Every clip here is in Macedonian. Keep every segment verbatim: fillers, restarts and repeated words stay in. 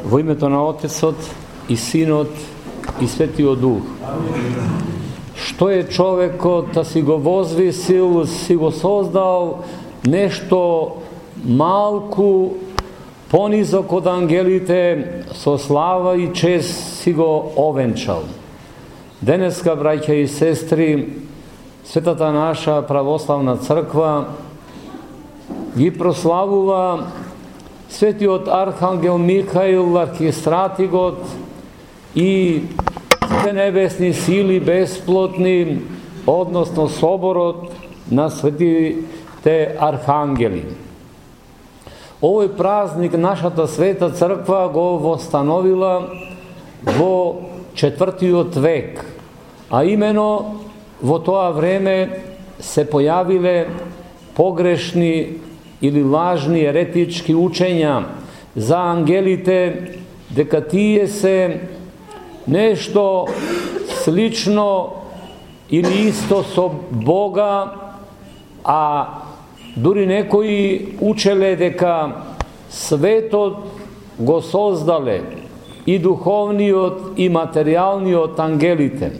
Во името на Отецот и Синот и Светиот Дух. Што е човекот да си го возвисил, си го создал нешто малку понизок од ангелите, со слава и чест си го овенчал. Денеска, браќа и сестри, светата наша православна црква ги прославува светиот архангел Михаил, архистратигот и сите небесни сили бесплотни, односно соборот на светите архангели. Овој празник нашата света црква го востановила во четвртиот век, а имено во тоа време се појавиле погрешни или лажни еретички учења за ангелите, дека тие се нешто слично или исто со Бога, а дури некои учеле дека светот го создале и духовниот и материјалниот ангелите.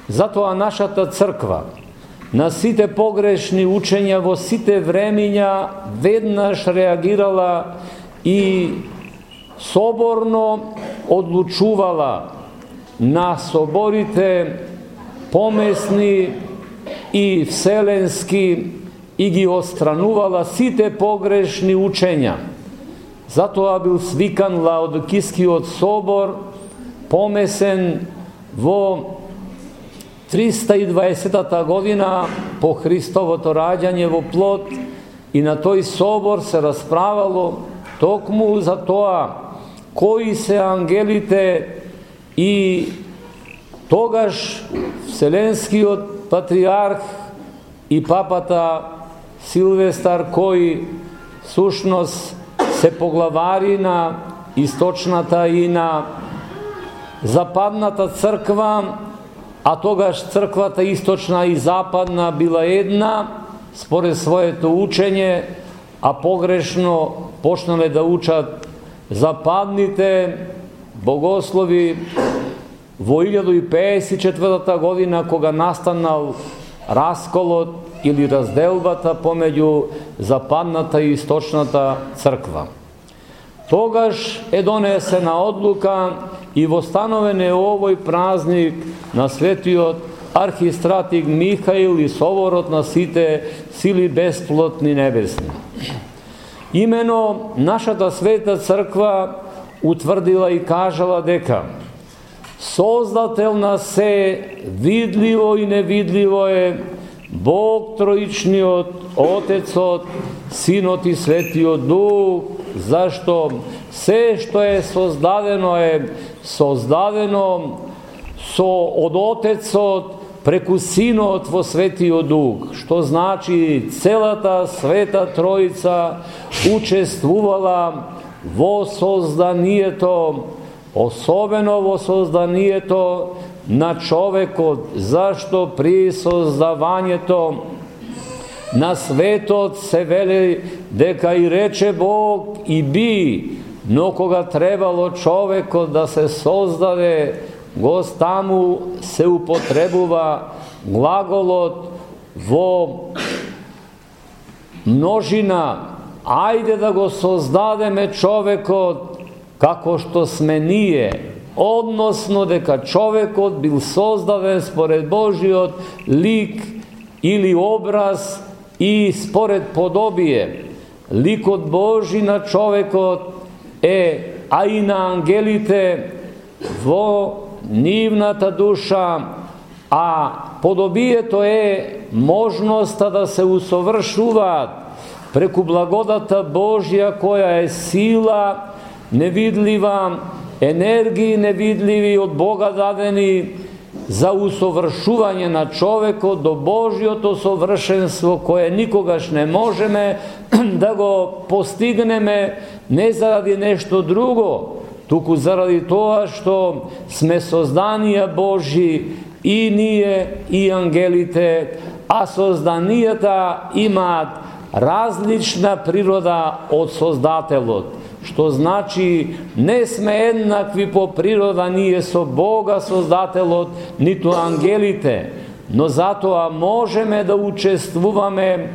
Затоа нашата црква на сите погрешни учења во сите времиња веднаш реагирала и соборно одлучувала на соборите помесни и вселенски и ги отстранувала сите погрешни учења. Затоа бил свикан Лаодикискиот собор, помесен во триста и дваесетата година по Христовото раѓање во плот, и на тој собор се расправало токму за тоа кои се ангелите, и тогаш Вселенскиот патриарх и папата Силвестар, кои сушност се поглавари на источната и на западната црква, а тогаш црквата источна и западна била една според своето учење, а погрешно почнале да учат западните богослови во илјада и пеесет и четвртата година, кога настанал расколот или разделбата помеѓу западната и источната црква. Тогаш е донесена одлука и востановен е овој празник на светиот архистратиг Михаил и соборот на сите сили бесплотни небесни. Имено нашата света црква утврдила и кажала дека создател на се видливо и невидливо е Бог Троичниот, Отецот, Синот и Светиот Дух, зашто се што е создадено е создадено со од Отецот преку Синот во Светиот Дух, што значи целата Света Троица учествувала во созданието, особено во созданието на човекот, зашто при создавањето на светот се вели дека и рече Бог и би, но кога требало човекот да се создаде, го таму се употребува глаголот во множина. Ајде да го создадеме човекот како што сме ние, односно дека човекот бил создаден според Божиот лик или образ и според подобие. Ликот Божи на човекот е, а и на ангелите, во нивната душа, а подобието е можноста да се усовршуваат преку благодата Божја, која е сила невидлива, енергии невидливи од Бога дадени за усовршување на човекот до Божјото совршенство, кое никогаш не можеме да го постигнеме не заради нешто друго, туку заради тоа што сме созданија Божји и ние и ангелите, а созданијата имаат различна природа од Создателот. што значи не сме еднакви по природа ние со Бога Создателот, ниту ангелите, но затоа можеме да учествуваме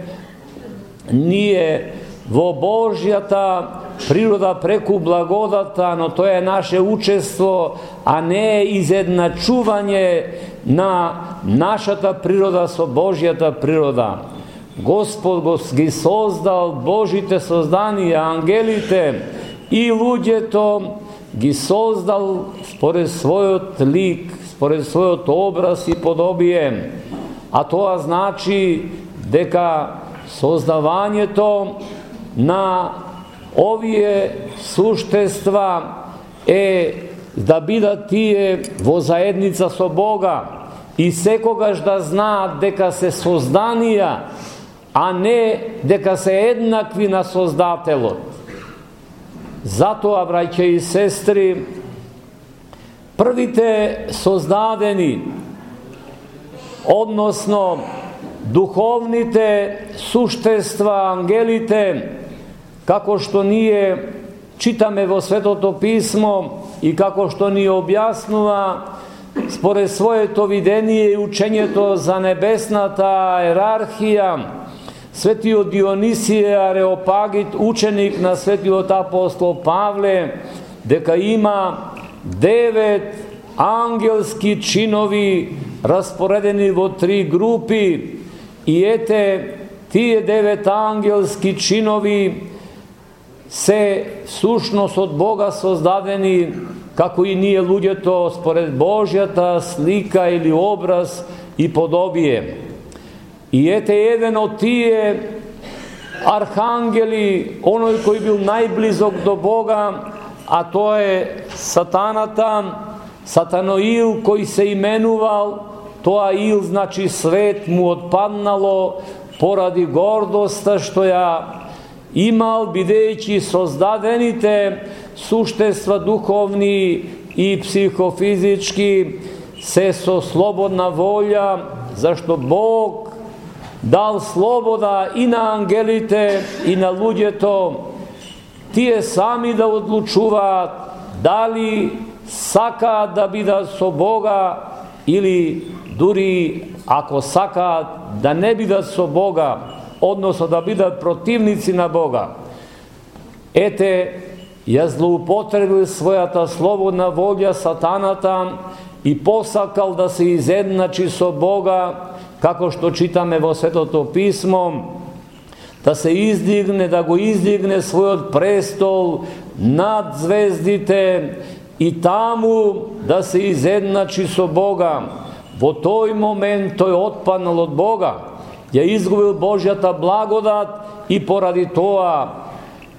ние во Божјата природа преку благодата, но тоа е наше учество, а не изедначување на нашата природа со Божјата природа. Господ го ги создал Божите созданија, ангелите и луѓето ги создал според својот лик, според својот образ и подобие. А тоа значи дека создавањето на овие суштества е да бидат тие во заедница со Бога и секогаш да знаат дека се созданија, а не дека се еднакви на Создателот. Затоа, браќа и сестри, првите создадени, односно духовните суштества, ангелите, како што ние читаме во Светото Писмо и како што ни објаснува според своето видение и учењето за небесната иерархија, светиот Дионисije Ареопагит, ученик на светиот апостол Павле, дека има девет ангелски чинови распоредени во три групи и ете тие девет ангелски чинови се сушност од Бога создадени, како и ние луѓето според Божјата слика или образ и подобие. И ете еден од тие архангели, оној кој бил најблизок до Бога, а тоа е сатаната, Сатаноил, кој се именувал, тоа ил значи свет му отпаднало поради гордоста што ја имал, бидејќи создадените суштества духовни и психофизички се со слободна волја, зашто Бог дал слобода и на ангелите и на луѓето, тие сами да одлучуваат дали сакаат да бидат со Бога или дури ако сакаат да не бидат со Бога, односно да бидат противници на Бога. Ете, ја злоупотребил својата слободна волја сатаната и посакал да се изедначи со Бога, како што читаме во Светото Писмо, да се издигне, да го издигне својот престол над звездите и таму да се изедначи со Бога. Во тој момент тој отпаднал од Бога, ја изгубил Божјата благодат и поради тоа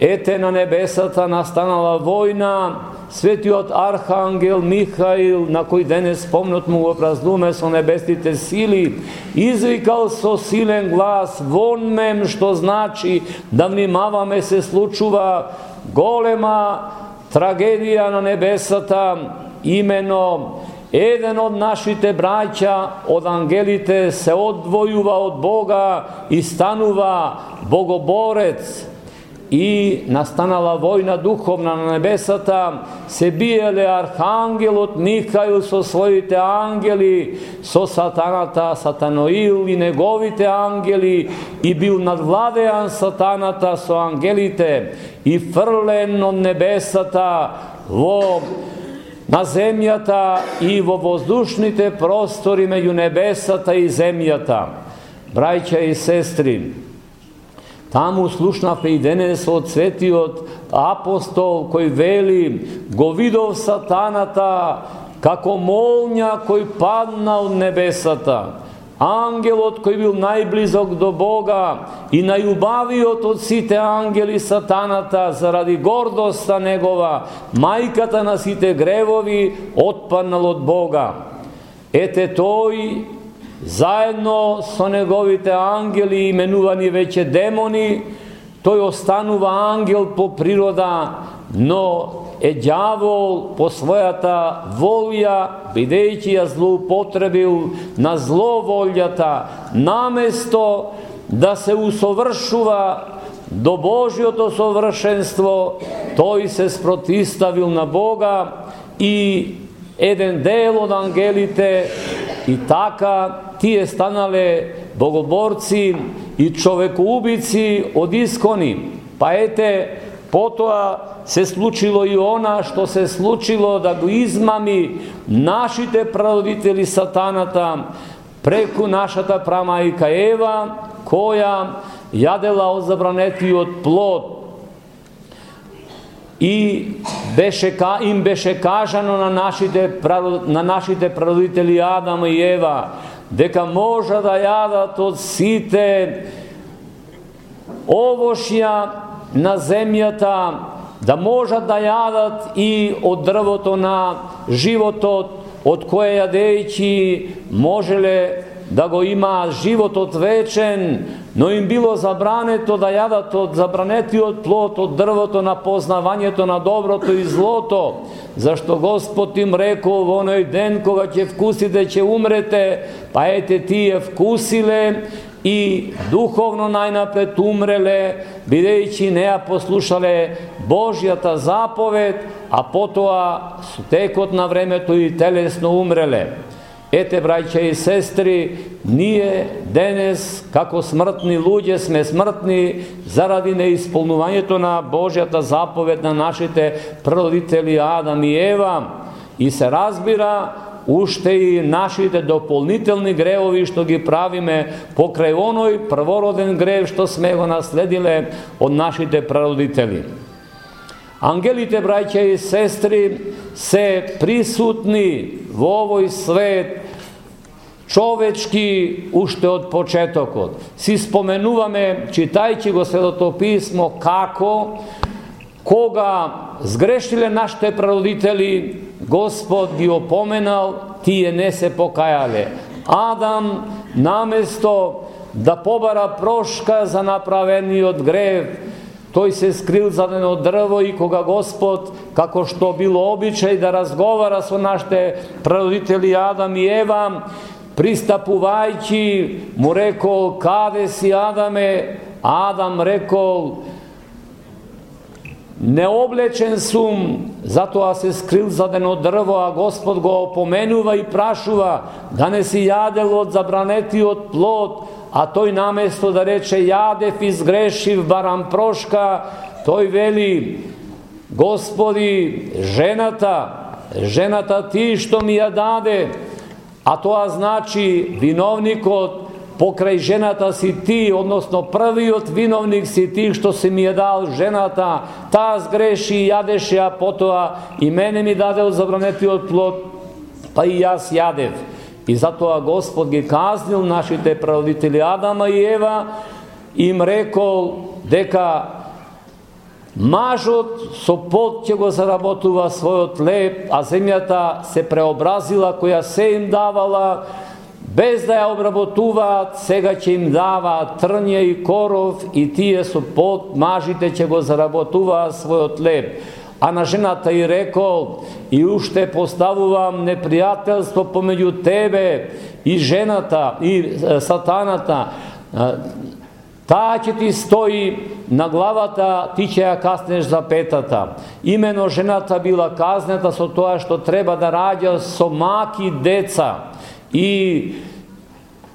ете на небесата настанала војна. Светиот архангел Михаил, на кој денес спомнот му го празнуваме со небесните сили, извикал со силен глас вон мем, што значи да внимаваме, се случува голема трагедија на небесата, имено еден од нашите браќа од ангелите се одвојува од Бога и станува богоборец. И настанала војна духовна на небесата, се биеле архангелот Михаил со своите ангели, со сатаната, Сатаноил и неговите ангели, и бил надвладеан сатаната со ангелите и фрлен од небесата во на земјата и во воздушните простори меѓу небесата и земјата. Браќа и сестри, таму слушнавме и денес од светиот апостол кој вели: го видов сатаната како молња кој падна од небесата. Ангелот кој бил најблизок до Бога и најубавиот од сите ангели, сатаната, заради гордоста негова, мајката на сите гревови, отпаднал од Бога. Ете тој заедно со неговите ангели, именувани веќе демони, тој останува ангел по природа, но е ѓавол по својата волја, бидејќи ја злоупотребил на зловолјата, наместо да се усовршува до Божјото совршенство, тој се спротиставил на Бога и еден дел од ангелите, и така тие станале богоборци и човекоубици од искони. Па ете, потоа се случило и она што се случило, да го измами нашите прародители сатаната преку нашата прамајка Ева, која јадела од забранетиот плод. И беше, им беше кажано на нашите, на нашите прародители Адам и Ева дека може да јадат од сите овошја на земјата, да можат да јадат и од дрвото на животот, од кое јадејќи можеле да го имаат животот вечен, но им било забрането да јадат од забранетиот плод, од дрвото на познавањето на доброто и злото, зашто Господ им рекол во оној ден кога ќе вкусите, ќе умрете, па ете тие вкусиле и духовно најнапред умреле, бидејќи не ја послушале Божјата заповед, а потоа со текот на времето и телесно умреле. Ете, браќа и сестри, ние денес, како смртни луѓе, сме смртни заради неисполнувањето на Божјата заповед на нашите прародители Адам и Ева, и се разбира уште и нашите дополнителни гревови што ги правиме покрај оној првороден грев што сме го наследиле од нашите прародители. Ангелите, браќа и сестри, се присутни во овој свет човечки уште од почетокот. Си споменуваме, читајќи го Светото писмо, како кога сгрешиле нашите прародители, Господ ги опоменал, тие не се покајале. Адам, наместо да побара прошка за направениот грев, тој се скрил за едно дрво, и кога Господ, како што било обичај да разговара со нашите прародители Адам и Ева, пристапувајќи, му рекол: каде си, Адаме? Адам рекол: необлечен сум, затоа се скрил за едно дрво, а Господ го опоменува и прашува да не си јадел од забранетиот плод, а тој наместо да рече јадев и сгрешив, барам прошка, тој вели: Господи, жената, жената ти што ми ја даде, а тоа значи виновникот покрај жената си ти, односно првиот виновник си ти што си ми ја дал жената, таа сгреши, јадеше, а потоа и мене ми даде од забранетиот плод, па и јас јадев. И затоа Господ ги казнил нашите прародители Адама и Ева, им рекол дека мажот со пот ќе го заработува својот леб, а земјата се преобразила која се им давала, без да ја обработуваат, сега ќе им даваат трње и коров, и тие со пот, мажите ќе го заработуваат својот леб. А на жената и рекол: и уште поставувам непријателство помеѓу тебе и жената, и сатаната. Таа ќе ти стои на главата, ти ќе ја каснеш за петата. Имено жената била казнета со тоа што треба да раѓа со маки деца. И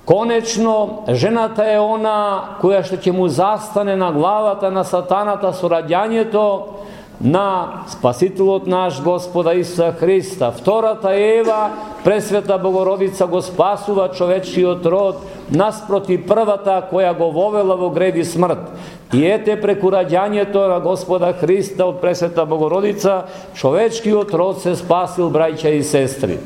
конечно, жената е она која што ќе му застане на главата на сатаната со раѓањето на Спасителот наш Господа Исуса Христа. Втората Ева, Пресвета Богородица, го спасува човечиот род наспроти првата која го вовела во грев и смрт. И ете, преку раѓањето на Господа Христа од Пресвета Богородица, човечкиот род се спасил, браќа и сестри.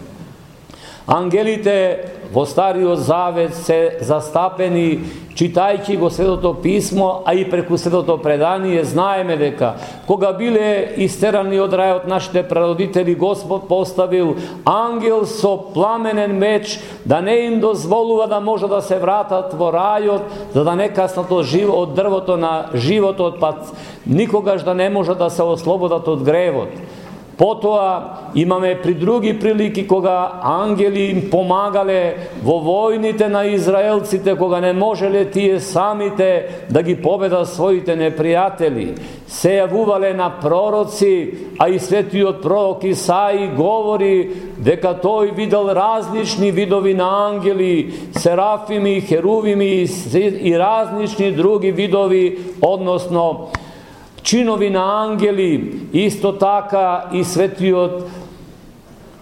Ангелите во Стариот Завет се застапени, читајќи го Светото писмо, а и преку Светото предание знаеме дека кога биле истерани од рајот нашите прародители, Господ поставил ангел со пламенен меч да не им дозволува да може да се вратат во рајот, за да не каснат од дрвото на животот, па никогаш да не може да се ослободат од гревот. Потоа имаме при други прилики кога ангели им помагале во војните на израелците, кога не можеле тие самите да ги победат своите непријатели. Се јавувале на пророци, а и светиот пророк Исаи говори дека тој видел различни видови на ангели, серафими, херувими и различни други видови, односно чинови на ангели. Исто така и светиот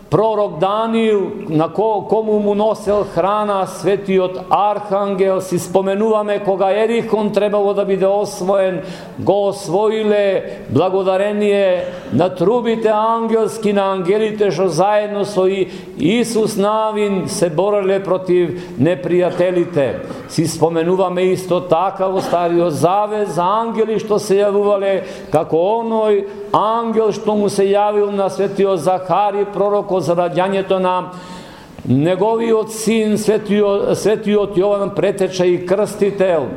пророк Даниил, на ко, кому му носел храна светиот архангел. Си споменуваме кога Ерихон требало да биде освоен, го освоиле благодарение на трубите ангелски, на ангелите што заедно со Исус Навин се бореле против непријателите. Си споменуваме исто така во Стариот Завет за ангели што се јавувале, како оној ангел што му се јавил на светиот Захари пророкот за раѓањето на неговиот син светиот, светиот Јован Претеча и Крстител.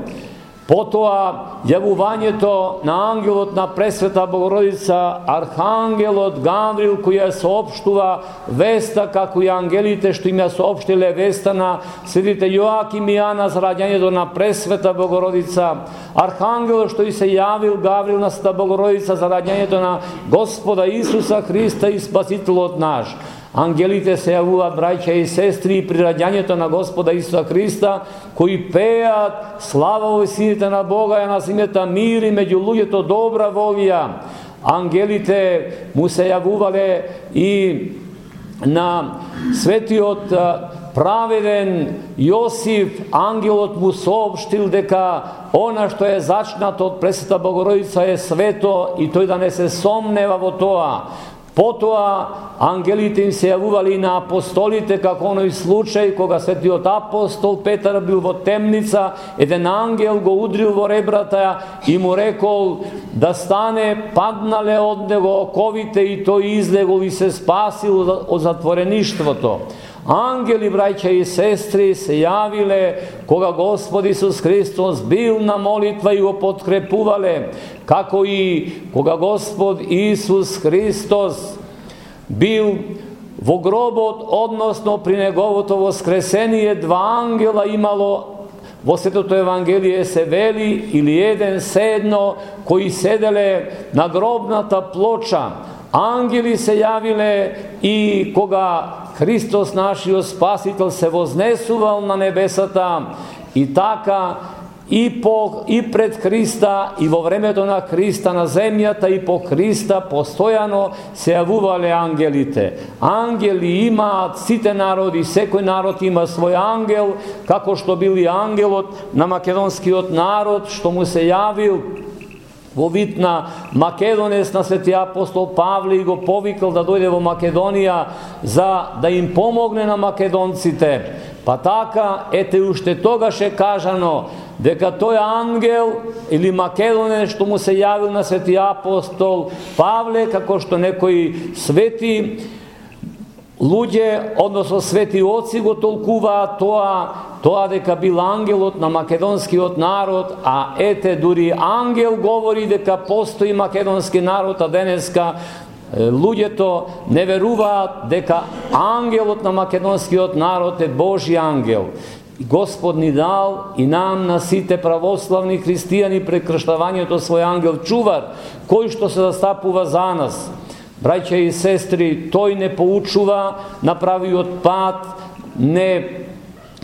Потоа јавувањето на ангелот на Пресвета Богородица, архангелот Гаврил, кој ја соопштува веста, како и ангелите што им ја соопштиле веста на светите Јоаким и Јана за раѓањето на Пресвета Богородица. Архангелот што и се јавил Гаврил на Света Богородица за раѓањето на Господа Исуса Христа и Спасителот наш. Ангелите се јавуваат, браќа и сестри, при раѓањето на Господа Исуса Христа, кои пеат слава во сините на Бога и на земјата мир и меѓу луѓето добра волја. Ангелите му се јавувале и на светиот праведен Јосиф. Ангелот му соопштил дека она што е зачнато од Пресвета Богородица е свето и тој да не се сомнева во тоа. Потоа ангелите им се јавували и на апостолите, како оној случај кога светиот апостол Петар бил во темница, еден ангел го удрил во ребрата и му рекол да стане, паднале од него оковите и тој излегол и се спасил од затвореништвото. Ангели, браќа и сестри, се јавиле кога Господ Исус Христос бил на молитва и го подкрепувале, како и кога Господ Исус Христос бил во гробот, односно при неговото воскресение, два ангела имало. Во Светото Евангелие се вели, или еден седно, кои седеле на гробната плоча. Ангели се јавиле и кога Христос, нашиот Спасител, се вознесувал на небесата, и така и по и пред Христа и во времето на Христа на земјата и по Христа постојано се јавувале ангелите. Ангели имаат сите народи, секој народ има свој ангел, како што бил и ангелот на македонскиот народ што му се јавил во вид на македонец на свети апостол Павле и го повикал да дојде во Македонија за да им помогне на македонците. Па така, ете уште тогаш е кажано дека тој ангел или македонец што му се јавил на свети апостол Павле, како што некои свети луѓе, односно свети оци го толкуваат тоа, тоа дека бил ангелот на македонскиот народ, а ете дури ангел говори дека постои македонски народ, а денеска луѓето не веруваат дека ангелот на македонскиот народ е Божи ангел. Господ ни дал и нам на сите православни христијани пред крштавањето свој ангел чувар, кој што се застапува за нас. Браќа и сестри, тој не поучува на правиот пат, не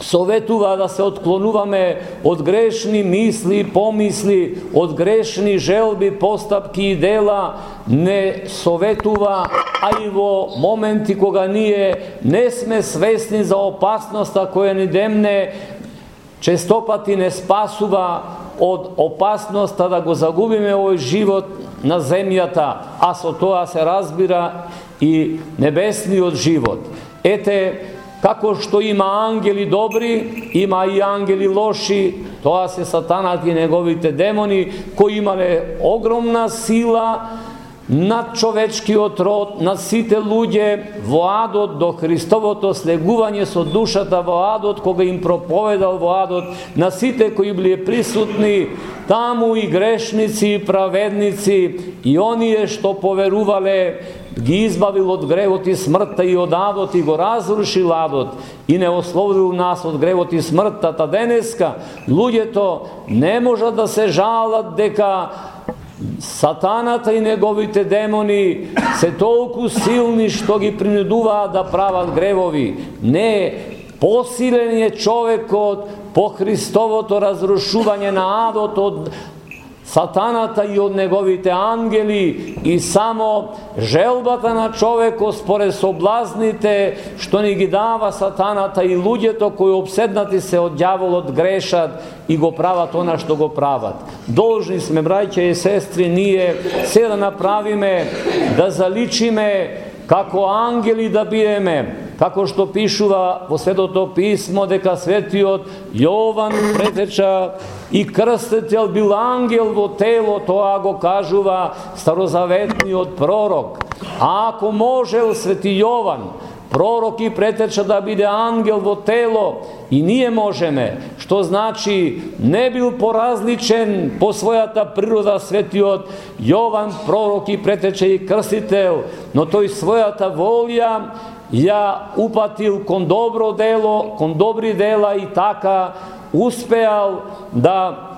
советува да се отклонуваме од грешни мисли и помисли, од грешни желби, постапки и дела, не советува, а и во моменти кога ние не сме свесни за опасноста која ни демне, честопати не спасува од опасноста да го загубиме овој живот на земјата, а со тоа се разбира и небесниот живот. Ете, како што има ангели добри, има и ангели лоши, тоа се сатанат и неговите демони, кои имале огромна сила над човечкиот род, над сите луѓе во адот до Христовото слегување со душата во адот, кога им проповедал во адот на сите кои биле присутни таму, и грешници, и праведници, и оние што поверувале ги избавил од гревот и смртта и од адот и го разрушил адот и не ослободил нас од гревот и смртта. Та денеска луѓето не можат да се жалат дека сатаната и неговите демони се толку силни што ги принудуваат да прават гревови. Не, посилен е човекот по Христовото разрушување на адот од сатаната и од неговите ангели, и само желбата на човекот според соблазните што ни ги дава сатаната и луѓето кои обседнати се од ѓаволот грешат и го прават она што го прават. Должни сме, браќа и сестри, ние се да направиме, да заличиме како ангели да биеме, како што пишува во Светото писмо дека светиот Јован претеча и крстител бил ангел во тело, тоа го кажува старозаветниот пророк. А ако можел свети Јован, пророк и претеча да биде ангел во тело, и ние можеме, што значи не бил поразличен по својата природа светиот Јован, пророк и претеча и крстител, но тој својата волја ја упатил кон добро дело, кон добри дела, и така успеал да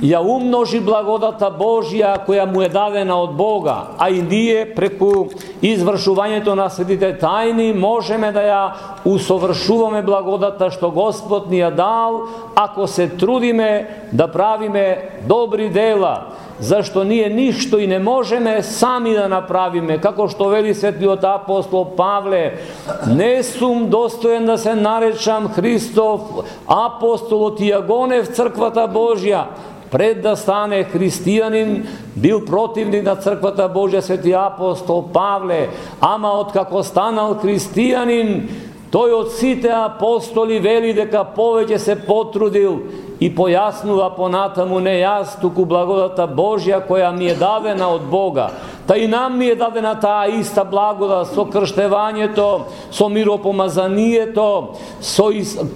ја умножи благодата Божја која му е дадена од Бога, а и ние преку извршувањето на светите тајни можеме да ја усовршуваме благодата што Господ ни ја дал, ако се трудиме да правиме добри дела, зашто ние ништо и не можеме сами да направиме, како што вели светиот апостол Павле: не сум достоен да се наречам Христов апостолот и ја гонев црквата Божја. Пред да стане христијанин, бил противник на црквата Божја свети апостол Павле, ама откако станал христијанин, тој од сите апостоли вели дека повеќе се потрудил, и појаснува понатаму: не јас, туку благодата Божја која ми е дадена од Бога. Та и нам ми е дадена таа иста благодат со крштевањето, со миропомазанието, со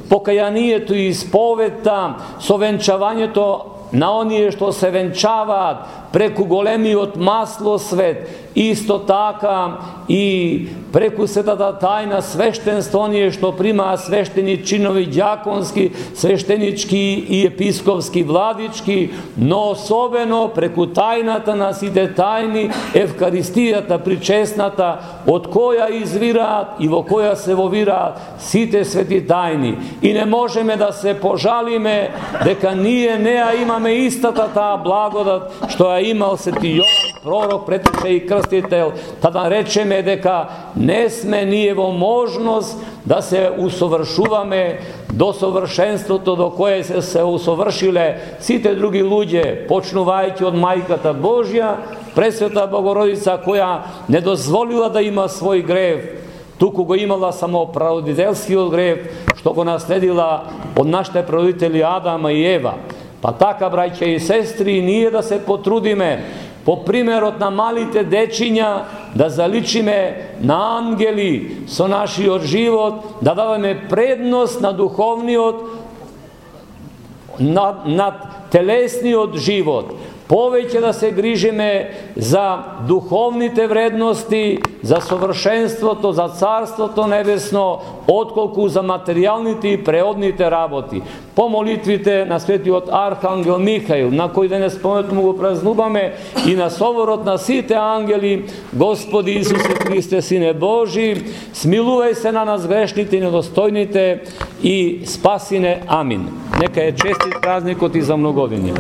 покајанието и исповедта, со венчавањето на оние што се венчаваат преку големиот маслосвет, исто така и преку светата тајна свештенство, оние што примаат свештени чинови, ѓаконски, свештенички и епископски, владички, но особено преку тајната на сите тајни, Евкаристијата причесната, од која извираат и во која се вовираат сите свети тајни. И не можеме да се пожалиме дека ние не ја имаме истата таа благодат што ја имал свети Јован, пророк, претеча и крстител, та да речеме дека не сме ние во можност да се усовршуваме до совршенството до кое се се усовршиле сите други луѓе, почнувајќи од Мајката Божја, Пресвета Богородица, која не дозволила да има свој грев, туку го имала само прародителскиот грев, што го наследила од нашите прародители Адама и Ева. Па така, браќа и сестри, ние да се потрудиме по примерот на малите дечиња да заличиме на ангели со нашиот живот, да даваме предност на духовниот над, над телесниот живот. Повеќе да се грижиме за духовните вредности, за совршенството, за Царството Небесно, отколку за материјалните и преодните работи. По молитвите на светиот Архангел Михаил, на кој денес спомнето му го празнуваме, и на соборот на сите ангели: Господи Исусе Христе, Сине Божи, смилувај се на нас грешните и недостојните и спасине. Амин. Нека е честит празникот и за многогодини.